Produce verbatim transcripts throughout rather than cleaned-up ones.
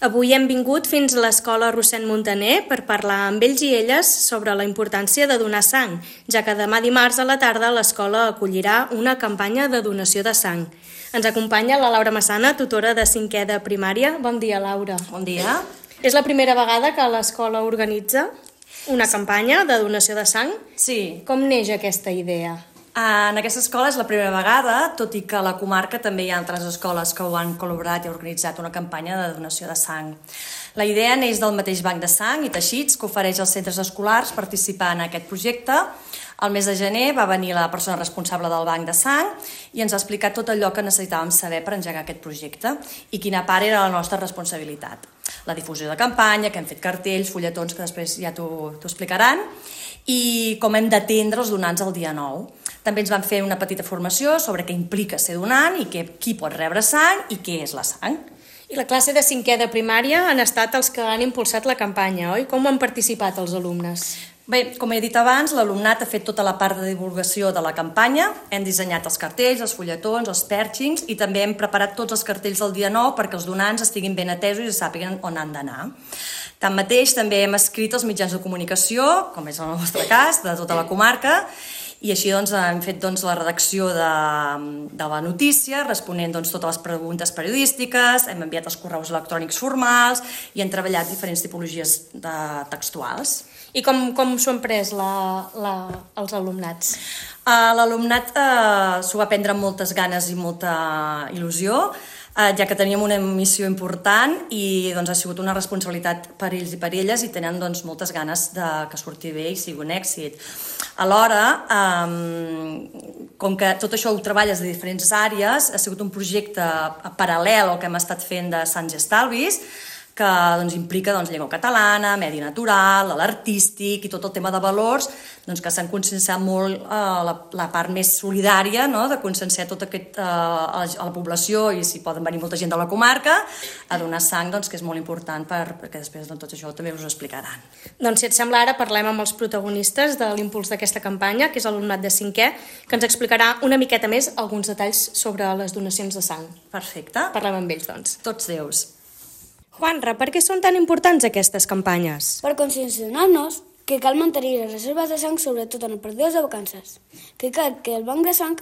Avui hem vingut fins a l'Escola Rossend Muntaner per parlar amb ells i elles sobre la importància de donar sang, ja que demà dimarts a la tarda l'escola acollirà una campanya de donació de sang. Ens acompanya la Laura Massana, tutora de cinquè de primària. Bon dia, Laura. Bon dia. És la primera vegada que l'escola organitza una campanya de donació de sang? Sí. Com neix aquesta idea? En aquesta escola és la primera vegada, tot i que a la comarca també hi ha altres escoles que ho han col·laborat i organitzat una campanya de donació de sang. La idea neix del mateix banc de sang i teixits que ofereix als centres escolars participar en aquest projecte. Al mes de gener va venir la persona responsable del banc de sang i ens ha explicat tot allò que necessitàvem saber per engegar aquest projecte i quina part era la nostra responsabilitat. La difusió de campanya, que hem fet cartells, fulletons, que després ja t'ho explicaran, i com hem d'atendre els donants el dia nou. També ens van fer una petita formació sobre què implica ser donant i que, qui pot rebre sang i què és la sang. I la classe de cinquè de primària han estat els que han impulsat la campanya, oi? Com han participat els alumnes? Bé, com he dit abans, l'alumnat ha fet tota la part de divulgació de la campanya. Hem dissenyat els cartells, els fulletons, els pèrgings i també hem preparat tots els cartells del dia nou perquè els donants estiguin ben atesos i sàpiguen on han d'anar. Tanmateix, també hem escrit els mitjans de comunicació, com és el nostre cas, de tota la comarca, i així doncs, hem fet doncs, la redacció de, de la notícia, responent doncs, totes les preguntes periodístiques, hem enviat els correus electrònics formals i hem treballat diferents tipologies de textuals. I com, com s'ho han pres la, la, els alumnats? Uh, L'alumnat uh, s'ho va prendre amb moltes ganes i molta il·lusió, uh, ja que teníem una missió important i doncs, ha sigut una responsabilitat per ells i per elles i tenen doncs, moltes ganes de que surti bé i sigui un èxit. Alhora, um, com que tot això ho treballes de diferents àrees, ha sigut un projecte paral·lel al que hem estat fent de Sants i Estalvis, que doncs, implica doncs, llengua catalana, medi natural, l'artístic i tot el tema de valors, doncs, que s'han conscienciat molt eh, la, la part més solidària, no? De conscienciar tot aquest, eh, a, la, a la població i si poden venir molta gent de la comarca a donar sang, doncs, que és molt important per, perquè després doncs, tot això també us ho explicaran. Doncs si et sembla ara parlem amb els protagonistes de l'impuls d'aquesta campanya, que és l'alumnat de cinquè, que ens explicarà una miqueta més alguns detalls sobre les donacions de sang. Perfecte. Parlem amb ells, doncs. Tots deus. Juanra, per què són tan importants aquestes campanyes? Per conscienciar-nos que cal mantenir les reserves de sang, sobretot en els períodes de vacances. Que cal que el banc de sang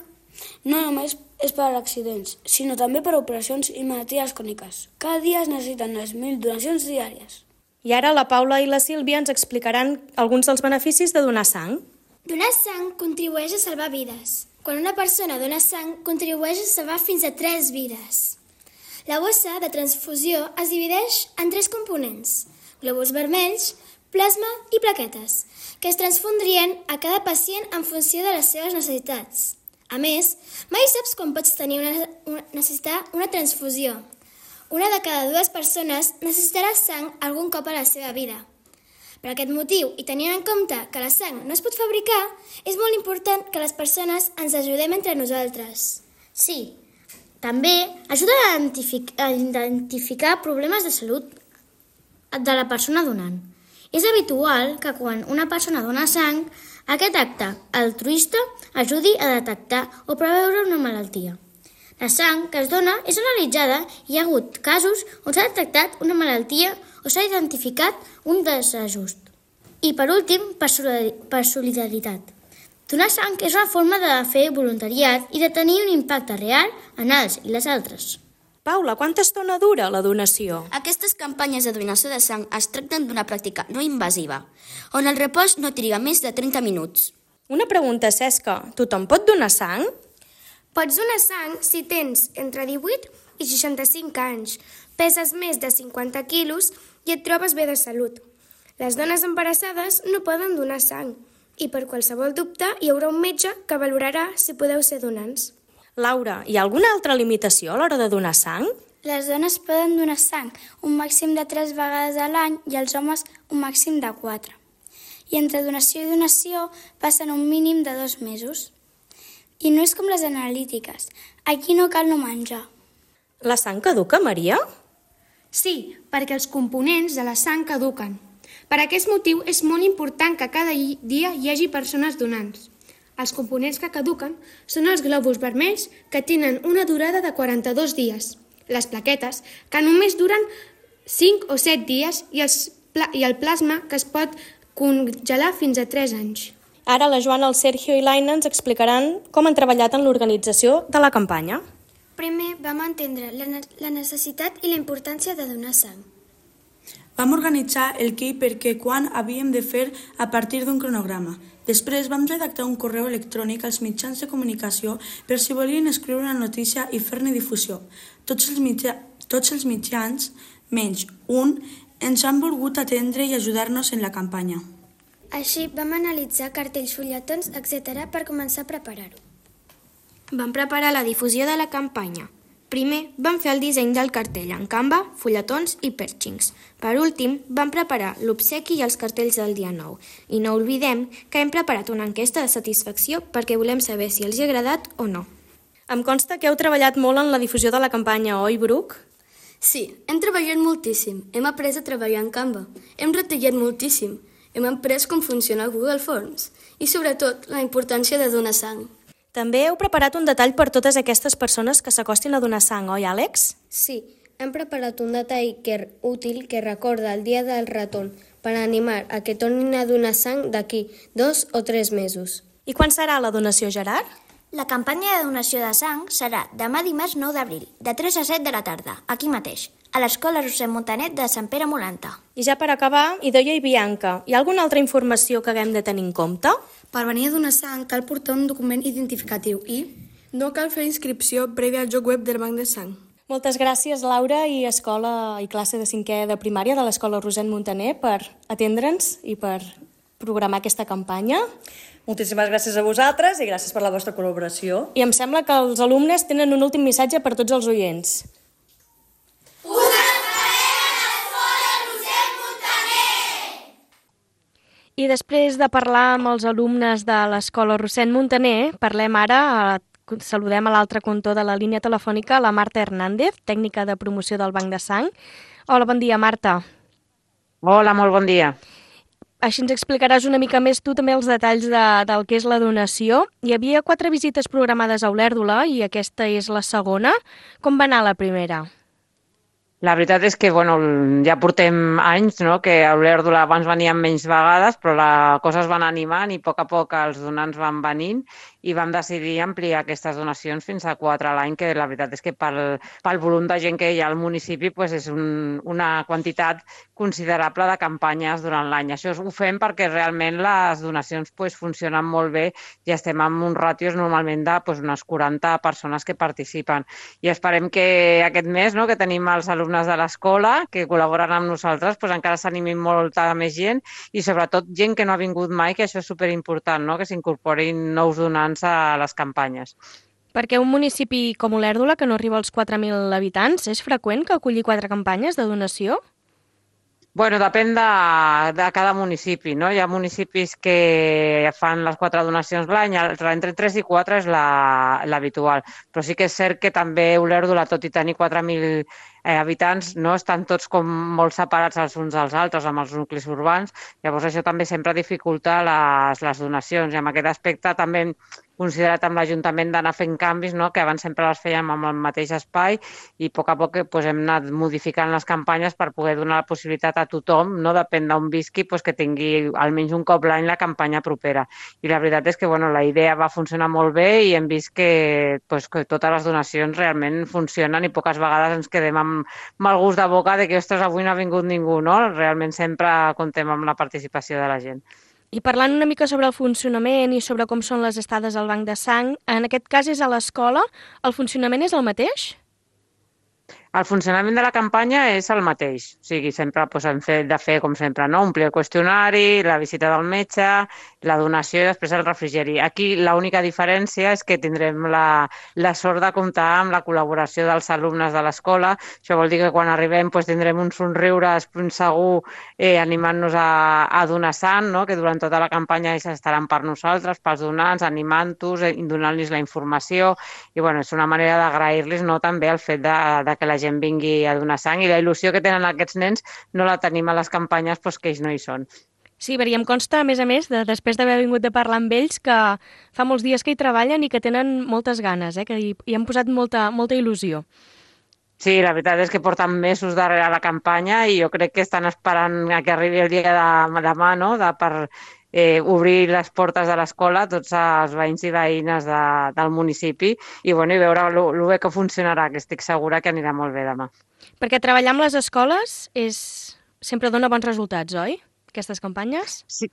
no només és per accidents, sinó també per operacions i malalties cròniques. Cada dia es necessiten unes mil donacions diàries. I ara la Paula i la Sílvia ens explicaran alguns dels beneficis de donar sang. Donar sang contribueix a salvar vides. Quan una persona dona sang, contribueix a salvar fins a tres vides. La bossa de transfusió es divideix en tres components, glòbuls vermells, plasma i plaquetes, que es transfondrien a cada pacient en funció de les seves necessitats. A més, mai saps quan pots tenir una, una, necessitar una transfusió. Una de cada dues persones necessitarà sang algun cop a la seva vida. Per aquest motiu, i tenint en compte que la sang no es pot fabricar, és molt important que les persones ens ajudem entre nosaltres. Sí, també ajuda a identific- a identificar problemes de salut de la persona donant. És habitual que quan una persona dona sang, aquest acte altruista ajudi a detectar o preveure una malaltia. La sang que es dona és analitzada i hi ha hagut casos on s'ha detectat una malaltia o s'ha identificat un desajust. I per últim, per solidaritat. Donar sang és una forma de fer voluntariat i de tenir un impacte real en els i les altres. Paula, quanta estona dura la donació? Aquestes campanyes de donació de sang es tracten d'una pràctica no invasiva, on el repòs no triga més de trenta minuts. Una pregunta, Cesca. Tothom pot donar sang? Pots donar sang si tens entre divuit i seixanta-cinc anys, peses més de cinquanta quilos i et trobes bé de salut. Les dones embarassades no poden donar sang. I per qualsevol dubte hi haurà un metge que valorarà si podeu ser donants. Laura, hi ha alguna altra limitació a l'hora de donar sang? Les dones poden donar sang un màxim de tres vegades a l'any i els homes un màxim de quatre. I entre donació i donació passen un mínim de dos mesos. I no és com les analítiques. Aquí no cal no menjar. La sang caduca, Maria? Sí, perquè els components de la sang caduquen. Per aquest motiu és molt important que cada dia hi hagi persones donants. Els components que caduquen són els glòbuls vermells, que tenen una durada de quaranta-dos dies, les plaquetes, que només duren cinc o set dies i, els pla i el plasma que es pot congelar fins a tres anys. Ara la Joana, el Sergio i l'Aina ens explicaran com han treballat en l'organització de la campanya. Primer vam entendre la, ne la necessitat i la importància de donar sang. Vam organitzar el què i per què quan havíem de fer a partir d'un cronograma. Després vam redactar un correu electrònic als mitjans de comunicació per si volien escriure una notícia i fer-ne difusió. Tots els, mitja tots els mitjans, menys un, ens han volgut atendre i ajudar-nos en la campanya. Així vam analitzar cartells, fulletons, etcètera per començar a preparar-ho. Vam preparar la difusió de la campanya. Primer, vam fer el disseny del cartell en Canva, fulletons i pèrxings. Per últim, vam preparar l'obsequi i els cartells del dia nou. I no oblidem que hem preparat una enquesta de satisfacció perquè volem saber si els hi ha agradat o no. Em consta que heu treballat molt en la difusió de la campanya, oi, Bruc? Sí, hem treballat moltíssim. Hem après a treballar en Canva. Hem retallat moltíssim. Hem après com funciona Google Forms. I, sobretot, la importància de donar sang. També heu preparat un detall per totes aquestes persones que s'acostin a donar sang, oi, Àlex? Sí, hem preparat un detall que, útil que recorda el dia del retorn per animar a que tornin a donar sang d'aquí dos o tres mesos. I quan serà la donació, Gerard? La campanya de donació de sang serà demà dimarts nou d'abril, de tres a set de la tarda, aquí mateix, a l'Escola Rossend Montanet de Sant Pere Molanta. I ja per acabar, Idoia i Bianca, hi ha alguna altra informació que haguem de tenir en compte? Per venir a donar sang cal portar un document identificatiu i no cal fer inscripció prèvia al lloc web del banc de sang. Moltes gràcies, Laura, i escola i classe de cinquè de primària de l'Escola Rossend Montaner per atendre'ns i per programar aquesta campanya. Moltíssimes gràcies a vosaltres i gràcies per la vostra col·laboració. I em sembla que els alumnes tenen un últim missatge per tots els oients. Us esperem a l'Escola Rossend Montaner! I després de parlar amb els alumnes de l'Escola Rossend Montaner, parlem ara, saludem a l'altre cantó de la línia telefònica, la Marta Hernández, tècnica de promoció del Banc de Sang. Hola, bon dia, Marta. Hola, molt bon dia. Així ens explicaràs una mica més tu també els detalls de, del que és la donació. Hi havia quatre visites programades a Olèrdola i aquesta és la segona. Com va anar la primera? La veritat és que bueno, ja portem anys, no? Que a Olèrdola abans venien menys vegades, però la cosa es va anar animant i a poc a poc els donants van venint i vam decidir ampliar aquestes donacions fins a quatre a l'any, que la veritat és que pel, pel volum de gent que hi ha al municipi pues és un, una quantitat considerable de campanyes durant l'any. Això ho fem perquè realment les donacions pues, funcionen molt bé i estem amb uns ràtios normalment de pues, unes quaranta persones que participen. I esperem que aquest mes, no, que tenim els alumnes de l'escola que col·laboren amb nosaltres, pues, encara s'animin molta més gent i sobretot gent que no ha vingut mai, que això és superimportant, no? Que s'incorporin nous donants a les campanyes. Perquè un municipi com Olèrdola, que no arriba als quatre mil habitants, és freqüent que acolli quatre campanyes de donació? Bueno, depèn de, de cada municipi, no? Hi ha municipis que fan les quatre donacions l'any, entre tres i quatre és l'habitual. La, Però sí que és cert que també Olèrdola, tot i tenir quatre mil eh, habitants, no estan tots com molt separats els uns dels altres amb els nuclis urbans. Llavors això també sempre dificulta les, les donacions i en aquest aspecte també hem considerat amb l'Ajuntament d'anar fent canvis, no? Que abans sempre les fèiem amb el mateix espai i a poc a poc pues, hem anat modificant les campanyes per poder donar la possibilitat a tothom, no depèn d'on visqui, pues, que tingui almenys un cop l'any la campanya propera. I la veritat és que bueno, la idea va funcionar molt bé i hem vist que, pues, que totes les donacions realment funcionen i poques vegades ens quedem amb mal gust de boca de que ostres, avui no ha vingut ningú, no? Realment sempre comptem amb la participació de la gent. I parlant una mica sobre el funcionament i sobre com són les estades al banc de sang, en aquest cas és a l'escola, el funcionament és el mateix? El funcionament de la campanya és el mateix, o sigui, sempre pues, hem fet de fer, com sempre, no? Omplir el qüestionari, la visita del metge, la donació i després el refrigeri. Aquí l'única diferència és que tindrem la, la sort de comptar amb la col·laboració dels alumnes de l'escola. Això vol dir que quan arribem pues, tindrem un somriure segur eh, animant-nos a, a donar sang, no? Que durant tota la campanya ells estaran per nosaltres, pels donants, animant-los, eh, donant-los la informació i bueno, és una manera d'agrair-los no? També el fet de, de que la gent vingui a donar sang i la il·lusió que tenen aquests nens no la tenim a les campanyes doncs, que ells no hi són. Sí, perquè em consta, a més a més, de, després d'haver vingut de parlar amb ells, que fa molts dies que hi treballen i que tenen moltes ganes, eh? Que hi, hi han posat molta, molta il·lusió. Sí, la veritat és que porten mesos darrere la campanya i jo crec que estan esperant a que arribi el dia de demà, no?, de, per eh, obrir les portes de l'escola a tots els veïns i veïnes de, del municipi i, bueno, i veure el bé que funcionarà, que estic segura que anirà molt bé demà. Perquè treballar amb les escoles és... sempre dona bons resultats, oi? Aquestes campanyes? Sí.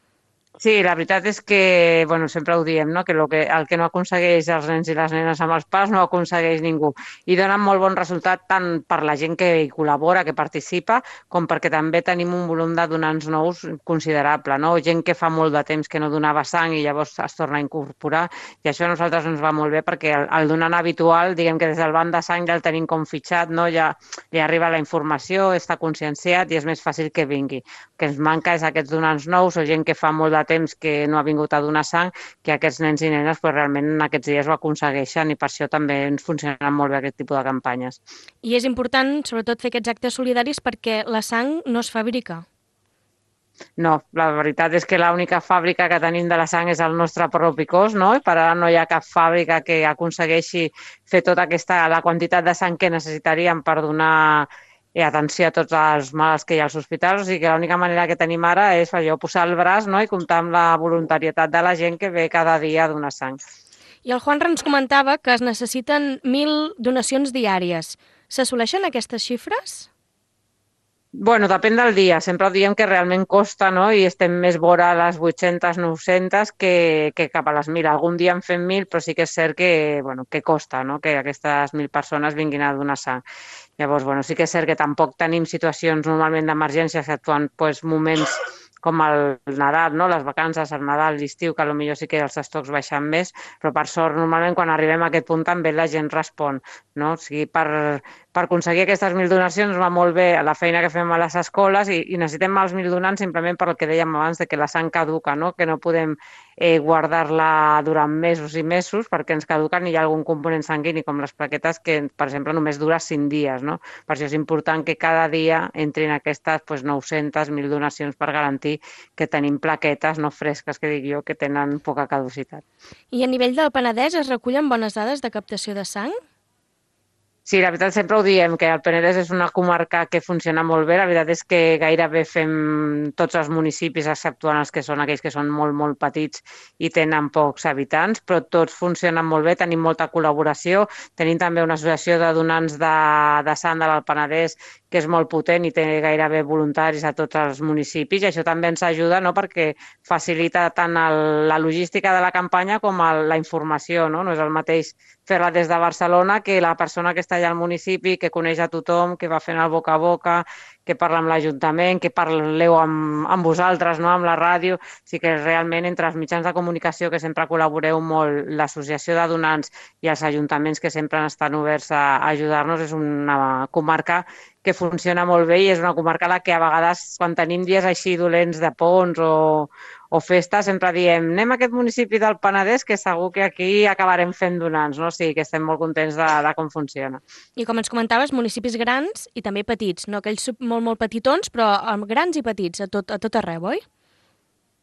Sí, la veritat és que, bueno, sempre ho diem, no?, que, lo que el que no aconsegueix els nens i les nenes amb els pares no ho aconsegueix ningú. I donen molt bon resultat tant per la gent que hi col·labora, que participa, com perquè també tenim un volum de donants nous considerable, no? Gent que fa molt de temps que no donava sang i llavors es torna a incorporar, i això a nosaltres ens va molt bé perquè el, el donant habitual, diguem que des del banc de sang ja el tenim com fitxat, no? Ja li arriba la informació, està conscienciat i és més fàcil que vingui. El que ens manca és aquests donants nous o gent que fa molt de temps que no ha vingut a donar sang, que aquests nens i nenes pues, realment en aquests dies ho aconsegueixen i per això també ens funcionen molt bé aquest tipus de campanyes. I és important, sobretot, fer aquests actes solidaris perquè la sang no es fabrica. No, la veritat és que l'única fàbrica que tenim de la sang és el nostre propi cos, no? I per ara no hi ha cap fàbrica que aconsegueixi fer tota aquesta, la quantitat de sang que necessitaríem per donar i atenció a tots els malalts que hi ha als hospitals, o sigui que l'única manera que tenim ara és allò, posar el braç, no?, i comptar amb la voluntarietat de la gent que ve cada dia a donar sang. I el Juan ens comentava que es necessiten mil donacions diàries. S'assoleixen aquestes xifres? Bueno, depèn del dia. Sempre diem que realment costa, no?, i estem més vora a les vuit-centes, nou-centes que, que cap a les mil. Algun dia en fem mil, però sí que és cert que, bueno, que costa, no?, que aquestes mil persones vinguin a donar sang. Llavors, bueno, sí que és cert que tampoc tenim situacions normalment d'emergència, exceptuant pues, moments com el Nadal, no?, les vacances, el Nadal, l'estiu, que potser sí que els estocs baixen més, però per sort, normalment, quan arribem a aquest punt també la gent respon, no? O sigui, per, per aconseguir aquestes mil donacions va molt bé la feina que fem a les escoles i, i necessitem els mil donants simplement per el que dèiem abans, de que la sang caduca, no?, que no podem eh, guardar-la durant mesos i mesos perquè ens caduquen i hi ha algun component sanguini, com les plaquetes, que, per exemple, només dura cinc dies, no? Per això és important que cada dia entrin aquestes pues, nou-centes, mil donacions per garantir que tenim plaquetes no fresques, que dic jo, que tenen poca caducitat. I a nivell del Penedès es recullen bones dades de captació de sang? Sí, la veritat sempre ho diem, que el Penedès és una comarca que funciona molt bé. La veritat és que gairebé fem tots els municipis, exceptuant els que són aquells que són molt, molt petits i tenen pocs habitants, però tots funcionen molt bé, tenim molta col·laboració. Tenim també una associació de donants de, de sang de l'Alt Penedès que és molt potent i té gairebé voluntaris a tots els municipis, i això també ens ajuda, no?, perquè facilita tant el, la logística de la campanya com el, la informació, no? No és el mateix fer-la des de Barcelona que la persona que està allà al municipi, que coneix a tothom, que va fent el boca a boca, que parla amb l'Ajuntament, que parleu amb, amb vosaltres, no?, amb la ràdio. O sigui que realment entre els mitjans de comunicació, que sempre col·laboreu molt, l'associació de donants i els ajuntaments que sempre estan oberts a, a ajudar-nos, és una comarca que funciona molt bé i és una comarca a la que a vegades quan tenim dies així dolents de ponts o, o festes sempre diem anem a aquest municipi del Penedès que segur que aquí acabarem fent donants, no? O sigui que estem molt contents de, de com funciona. I com ens comentaves, municipis grans i també petits, no aquells molt, molt petitons, però grans i petits a tot, a tot arreu, oi?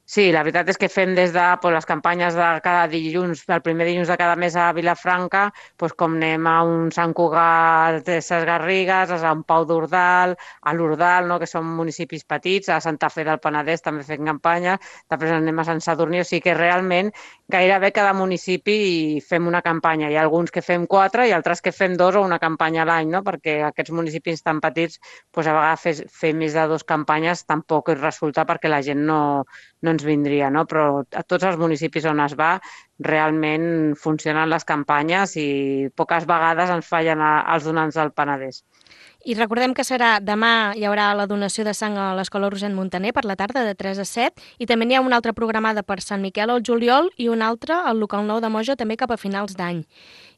Sí, la veritat és que fem des de pues, les campanyes de cada dilluns, el primer dilluns de cada mes a Vilafranca, pues, com anem a un Sant Cugat de Ses Garrigues, a Sant Pau d'Ordal, a l'Ordal, no?, que són municipis petits, a Santa Fe del Penedès també fem campanya, després anem a Sant Sadurní, o sigui que realment gairebé cada municipi fem una campanya. Hi ha alguns que fem quatre i altres que fem dos o una campanya a l'any, no?, perquè aquests municipis tan petits pues, a vegades fer, fer més de dues campanyes tampoc hi resulta perquè la gent no, no ens vindria, no? Però a tots els municipis on es va realment funcionen les campanyes i poques vegades ens fallen els donants del Penedès. I recordem que serà demà, hi haurà la donació de sang a l'Escola Rossend Muntaner per la tarda de tres a set i també n'hi ha una altra programada per Sant Miquel al juliol i una altra al local nou de Moja també cap a finals d'any.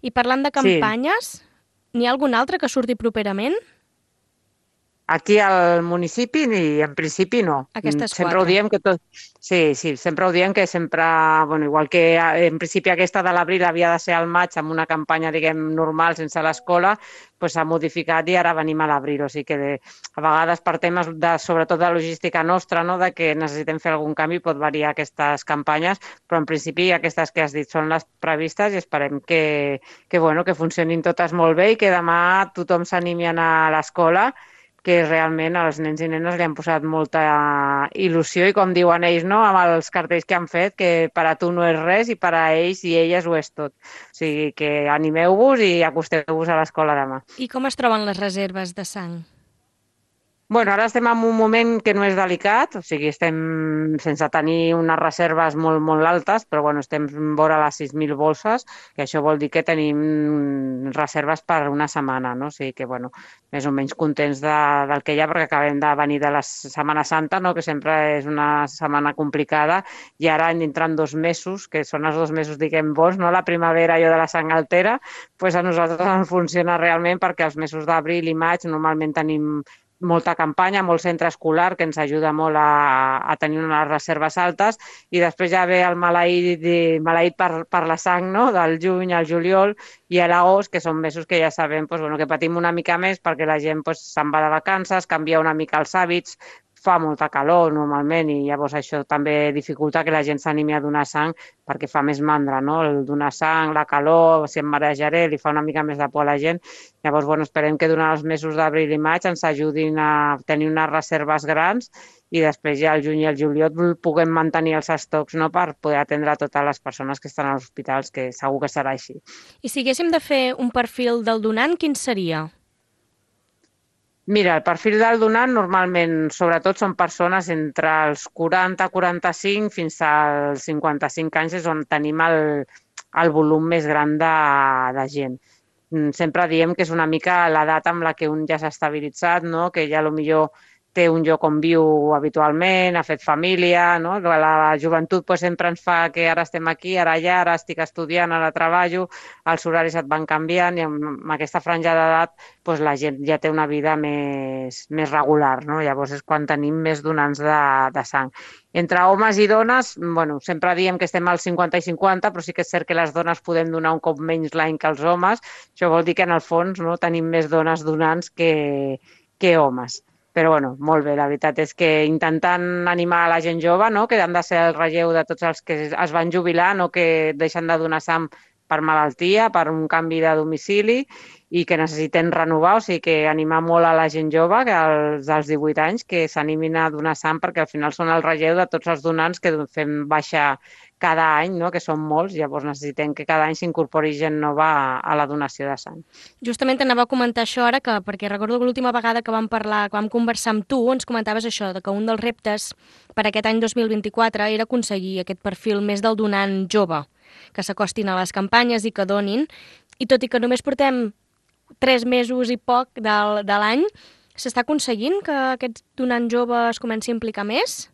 I parlant de campanyes, sí. N'hi ha algun altre que surti properament? Aquí al municipi, i en principi no. Aquestes sempre quatre. ho diem que tot... Sí, sí, sempre ho diem que sempre... Bueno, igual que en principi aquesta de l'abril havia de ser al maig amb una campanya, diguem, normal, sense l'escola, doncs s'ha modificat i ara venim a l'abril. O sigui que de, a vegades per temes, de, sobretot de logística nostra, no, de que necessitem fer algun canvi, pot variar aquestes campanyes, però en principi aquestes que has dit són les previstes i esperem que, que, bueno, que funcionin totes molt bé i que demà tothom s'animi a anar a l'escola, que realment als nens i nenes li han posat molta il·lusió i, com diuen ells, no, amb els cartells que han fet, que per a tu no és res i per a ells i elles ho és tot. O sigui que animeu-vos i acosteu-vos a l'escola demà. I com es troben les reserves de sang? Bueno, ara estem en un moment que no és delicat, o sigui, estem sense tenir unes reserves molt, molt altes, però bueno, estem vora les sis mil bolses, que això vol dir que tenim reserves per una setmana, no? O sigui que, bueno, més o menys contents de, del que hi ha, perquè acabem de venir de la Setmana Santa, no? Que sempre és una setmana complicada, i ara entrant dos mesos, que són els dos mesos, diguem, bons, no? La primavera, allò de la sang altera, doncs a nosaltres ens funciona realment, perquè els mesos d'abril i maig normalment tenim molta campanya, molt centre escolar, que ens ajuda molt a, a tenir unes reserves altes, i després ja ve el maleït, maleït per, per la sang, no? Del juny al juliol i a l'agost, que són mesos que ja sabem pues, bueno, que patim una mica més perquè la gent pues, se'n va de vacances, canvia una mica els hàbits, fa molta calor normalment i llavors això també dificulta que la gent s'animi a donar sang perquè fa més mandra, no? El donar sang, la calor, si em marejaré, li fa una mica més de por a la gent. Llavors, bueno, esperem que durant els mesos d'abril i maig ens ajudin a tenir unes reserves grans i després ja al juny i al juliol puguem mantenir els estocs, no? Per poder atendre totes les persones que estan als hospitals, que segur que serà així. I si haguéssim de fer un perfil del donant, quin seria? Mira, el perfil del donant normalment, sobretot, són persones entre els quaranta a quaranta-cinc fins als cinquanta-cinc anys, és on tenim el, el volum més gran de, de gent. Sempre diem que és una mica l'edat amb la que un ja s'ha estabilitzat, no? Que ja potser té un lloc on viu habitualment, ha fet família, no? La joventut pues, sempre ens fa que ara estem aquí, ara allà, ara estic estudiant, ara treballo, els horaris et van canviant i amb aquesta franja d'edat pues, la gent ja té una vida més, més regular, no? Llavors és quan tenim més donants de, de sang. Entre homes i dones, bueno, sempre diem que estem al cinquanta i cinquanta, però sí que és cert que les dones podem donar un cop menys l'any que els homes. Això vol dir que en el fons no, tenim més dones donants que, que homes. Però bueno, molt bé, la veritat és que intentant animar a la gent jove, no? Que han de ser el relleu de tots els que es van jubilar, no? Que deixen de donar sang per malaltia, per un canvi de domicili i que necessiten renovar, o sigui que animar molt a la gent jove, que als dels divuit anys, que s'animin a donar sang perquè al final són el relleu de tots els donants que fem baixar cada any, no? Que són molts, llavors necessitem que cada any s'incorpori gent nova a, a la donació de sang. Justament t'anava a comentar això ara, que, perquè recordo que l'última vegada que vam parlar, que vam conversar amb tu, ens comentaves això, de que un dels reptes per aquest any dos mil vint-i-quatre era aconseguir aquest perfil més del donant jove, que s'acostin a les campanyes i que donin, i tot i que només portem tres mesos i poc de, de l'any, s'està aconseguint que aquest donant jove es comenci a implicar més?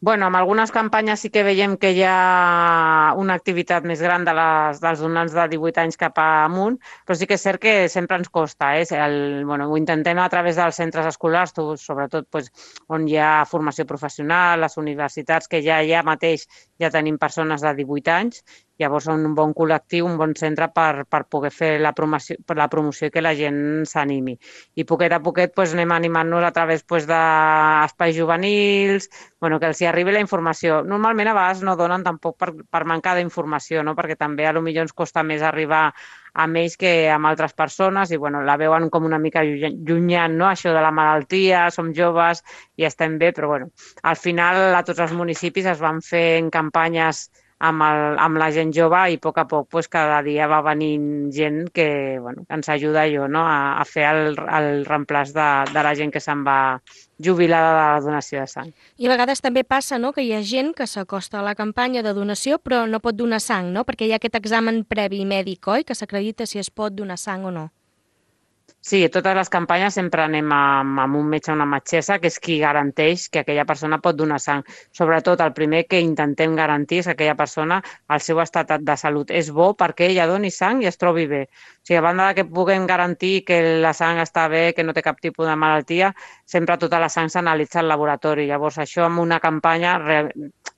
Bueno, amb algunes campanyes sí que veiem que hi ha una activitat més gran de les, dels donants de divuit anys cap amunt, però sí que és cert que sempre ens costa. Eh? El, bueno, ho intentem a través dels centres escolars, sobretot pues, on hi ha formació professional, les universitats, que ja ja mateix ja tenim persones de divuit anys, llavors són un bon col·lectiu, un bon centre per, per poder fer la promoció, per la promoció i que la gent s'animi. I poquet a poquet pues, anem animant-nos a través pues, d'espais juvenils, bueno, que els hi arribi la informació. Normalment a vegades no donen tampoc per, per manca d'informació, no? Perquè també a lo millor ens costa més arribar amb ells que amb altres persones i bueno, la veuen com una mica llunyant, no? Això de la malaltia, som joves i estem bé, però bueno, al final a tots els municipis es van fent campanyes amb, el, amb la gent jove i a poc a poc pues, cada dia va venint gent que bueno, ens ajuda jo, no? a, a fer el, el reemplaç de, de la gent que se'n va jubilar de la donació de sang. I a vegades també passa no? Que hi ha gent que s'acosta a la campanya de donació però no pot donar sang, no? Perquè hi ha aquest examen previ mèdic, oi? Que s'acredita si es pot donar sang o no. Sí, a totes les campanyes sempre anem amb, amb un metge o una metgessa, que és qui garanteix que aquella persona pot donar sang. Sobretot, el primer que intentem garantir és que aquella persona, el seu estat de salut és bo perquè ella doni sang i es trobi bé. O sigui, a banda de que puguem garantir que la sang està bé, que no té cap tipus de malaltia, sempre tota la sang s'analitza al laboratori. Llavors, això amb una campanya real,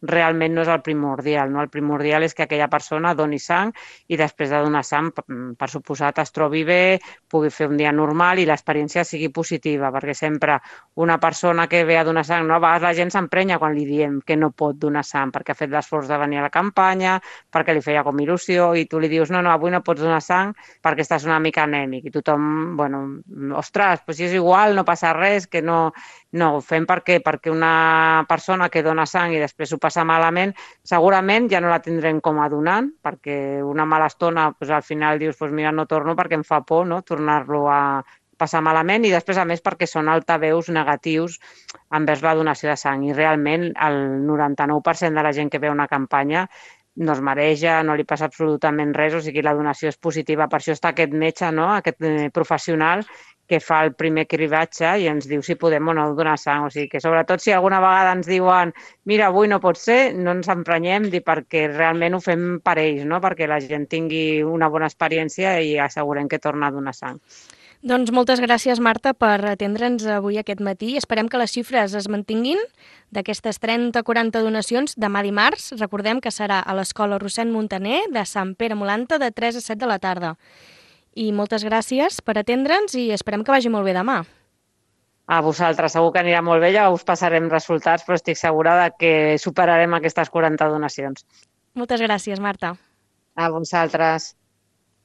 realment no és el primordial. No? El primordial és que aquella persona doni sang i després de donar sang, per suposat, es trobi bé, pugui fer un dia normal i l'experiència sigui positiva, perquè sempre una persona que ve a donar sang, no? A vegades la gent s'emprenya quan li diem que no pot donar sang perquè ha fet l'esforç de venir a la campanya, perquè li feia com il·lusió, i tu li dius no, no, avui no pots donar sang perquè estàs una mica anèmic, i tothom, bueno, ostres, doncs si és igual, no passa res, que no... No, ho fem perquè, perquè una persona que dona sang i després ho passa malament, segurament ja no la tindrem com a donant, perquè una mala estona, doncs al final dius, doncs mira, no torno perquè em fa por, no?, tornar-lo a passar malament, i després, a més, perquè són altaveus negatius envers la donació de sang. I realment el noranta-nou per cent de la gent que ve a una campanya no es mareja, no li passa absolutament res, o sigui, la donació és positiva. Per això està aquest metge, no?, aquest professional que fa el primer cribatge i ens diu si podem o no donar sang. O sigui que, sobretot, si alguna vegada ens diuen mira, avui no pot ser, no ens emprenyem, perquè realment ho fem per ells, no?, perquè la gent tingui una bona experiència i assegurem que torna a donar sang. Doncs moltes gràcies, Marta, per atendre'ns avui aquest matí. Esperem que les xifres es mantinguin d'aquestes trenta o quaranta donacions demà dimarts. Recordem que serà a l'Escola Rossend Muntaner de Sant Pere Molanta de tres a set de la tarda. I moltes gràcies per atendre'ns i esperem que vagi molt bé demà. A vosaltres, segur que anirà molt bé, ja us passarem resultats, però estic segura de que superarem aquestes quaranta donacions. Moltes gràcies, Marta. A vosaltres.